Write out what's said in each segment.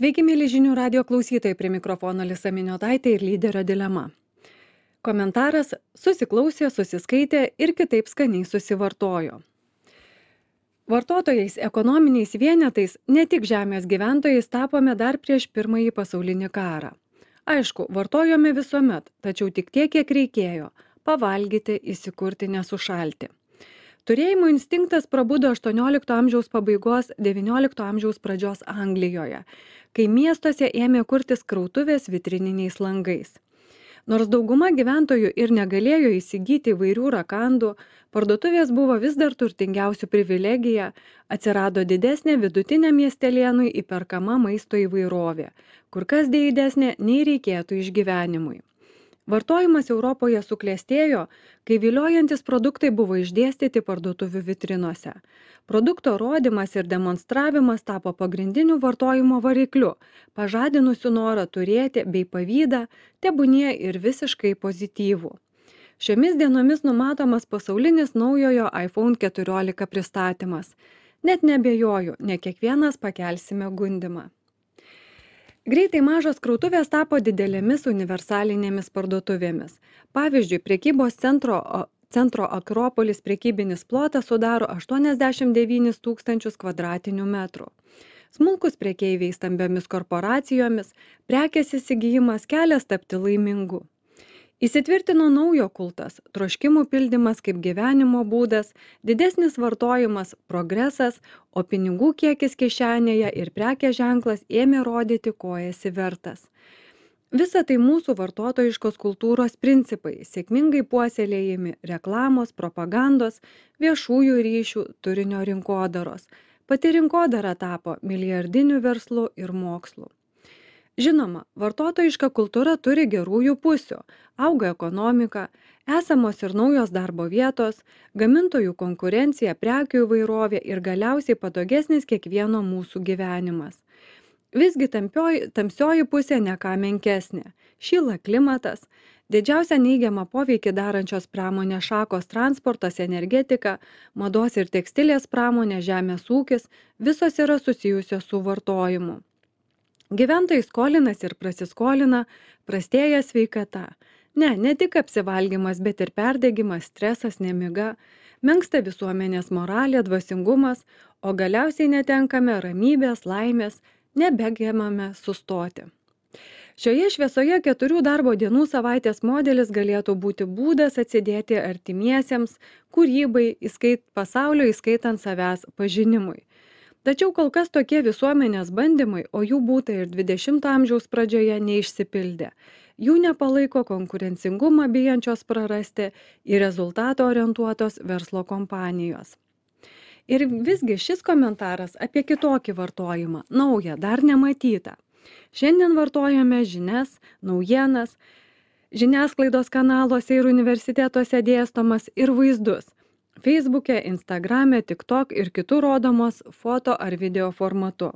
Sveiki, mėly žinių radio klausytojai, prie mikrofono Lisa Miniotaitė ir lyderio dilema. Komentaras: susiklausė, susiskaitė ir kitaip skaniai susivartojo. Vartotojais, ekonominiais vienetais, ne tik žemės gyventojais tapome dar prieš Pirmąjį pasaulinį karą. Aišku, vartojome visuomet, tačiau tik tiek, kiek reikėjo – pavalgyti, įsikurti, nesušalti. Turėjimo instinktas prabudo 18 amžiaus pabaigos, 19 amžiaus pradžios Anglijoje, kai miestuose ėmė kurtis krautuvės vitrininiais langais. Nors dauguma gyventojų ir negalėjo įsigyti įvairių rakandų, parduotuvės buvo vis dar turtingiausių privilegija, atsirado didesnė vidutiniam miestelėnui įperkama maisto įvairovė, kur kas didesnė nei reikėtų išgyvenimui. Vartojimas Europoje suklestėjo, kai viliojantis produktai buvo išdėstyti parduotuvių vitrinose. Produkto rodymas ir demonstravimas tapo pagrindiniu vartojimo varikliu, pažadinusiu norą turėti bei pavydą, tebūnie ir visiškai pozityvų. Šiomis dienomis numatomas pasaulinis naujojo iPhone 14 pristatymas. Net neabejoju, ne kiekvienas pakelsime gundymą. Greitai mažos krautuvės tapo didelėmis universalinėmis parduotuvėmis. Pavyzdžiui, prekybos centro Akropolis prekybinis plotas sudaro 89 000 kvadratinių metrų. Smulkus prekeiviai stambiomis korporacijomis, prekės įsigijimas kelias tapti laimingu. Įsitvirtino naujo kultas, troškimų pildymas kaip gyvenimo būdas, didesnis vartojimas, progresas, o pinigų kiekis kišenėje ir prekės ženklas ėmė rodyti, ko esi vertas. Visa tai mūsų vartotojiškos kultūros principai, sėkmingai puoselėjami reklamos, propagandos, viešųjų ryšių, turinio rinkodaros. Pati rinkodara tapo milijardiniu verslu ir mokslu. Žinoma, vartotojiška kultūra turi gerųjų pusių, auga ekonomika, esamos ir naujos darbo vietos, gamintojų konkurencija, prekių įvairovė ir galiausiai patogesnis kiekvieno mūsų gyvenimas. Visgi tamsioji pusė ne ką menkesnė. Šyla klimatas, didžiausią neigiamą poveikį darančios pramonės šakos transportas, energetika, mados ir tekstilės pramonė, žemės ūkis, visos yra susijusios su vartojimu. Gyventojai skolinasi ir prasiskolina, prastėja sveikata. Ne tik apsivalgymas, bet ir perdegimas, stresas, nemiga, menksta visuomenės moralė, dvasingumas, o galiausiai netenkame ramybės, laimės, nebegebame sustoti. Šioje šviesoje 4 darbo dienų savaitės modelis galėtų būti būdas atsidėti artimiesiems, kūrybai, pasaulio įskaitant savęs pažinimui. Tačiau kol kas tokie visuomenės bandymai, o jų būta ir 20 amžiaus pradžioje, neišsipildė. Jų nepalaiko konkurencingumą bijančios prarasti į rezultatą orientuotos verslo kompanijos. Ir visgi šis komentaras apie kitokį vartojimą, naują, dar nematytą. Šiandien vartojame žinias, naujienas, žiniasklaidos kanaluose ir universitetuose dėstomas ir vaizdus. Facebook'e, Instagram'e, TikTok ir kitų rodomos foto ar video formatu.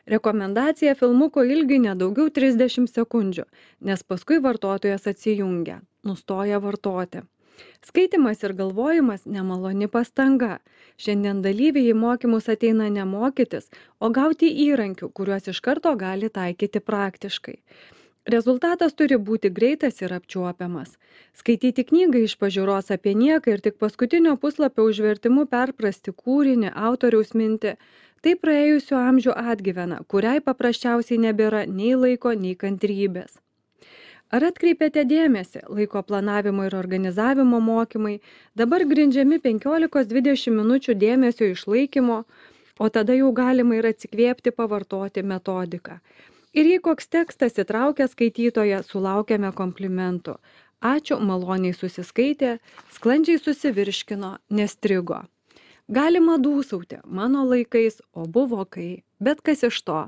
Rekomendacija filmuko ilgiui nedaugiau 30 sekundžių, nes paskui vartotojas atsijungia, nustoja vartoti. Skaitimas ir galvojimas nemaloni pastanga. Šiandien dalyviai į mokymus ateina ne mokytis, o gauti įrankių, kuriuos iš karto gali taikyti praktiškai. Rezultatas turi būti greitas ir apčiuopiamas. Skaityti knygą iš pažiūros apie nieką ir tik paskutinio puslapio užvertimu perprasti kūrinį, autoriaus mintį, tai praėjusių amžių atgyvena, kuriai paprasčiausiai nebėra nei laiko, nei kantrybės. Ar atkreipėte dėmesį, laiko planavimo ir organizavimo mokymai dabar grindžiami 15-20 minučių dėmesio išlaikymo, o tada jau galima ir atsikvėpti pavartoti metodiką. Ir jei koks tekstas įtraukia skaitytoją, sulaukiame komplimentų. Ačiū, maloniai susiskaitė, sklandžiai susivirškino, nestrigo. Galima dūsauti, mano laikais, o buvo kai, bet kas iš to.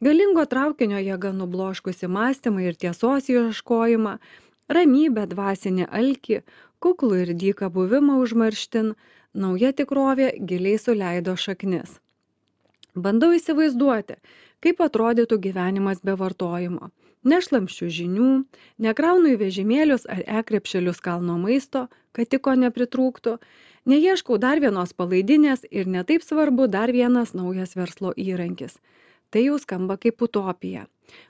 Galingo traukinio jėga nubloškusi mąstymą ir tiesos ieškojimą, ramybę, dvasinį alkį, kuklų ir dyką buvimą užmarštin, nauja tikrovė giliai suleido šaknis. Bandau įsivaizduoti, kaip atrodytų gyvenimas be vartojimo. Nešlamščių žinių, nekraunu į vežimėlius ar krepšelius kalno maisto, kad tik ko nepritrūktų, neieškau dar vienos palaidinės ir netaip svarbu dar vienas naujas verslo įrankis. Tai jau skamba kaip utopija.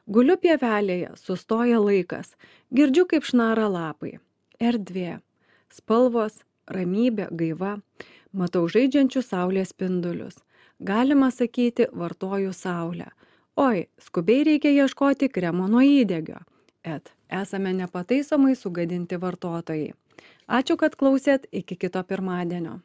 Guliu pievelėje, sustoja laikas, girdžiu kaip šnara lapai. Erdvė, spalvos, ramybė, gaiva, matau žaidžiančius saulės spindulius. Galima sakyti, vartoju saulę. Oi, skubiai reikia ieškoti kremo nuo įdegio. Esame nepataisomai sugadinti vartotojai. Ačiū, kad klausėt, iki kito pirmadienio.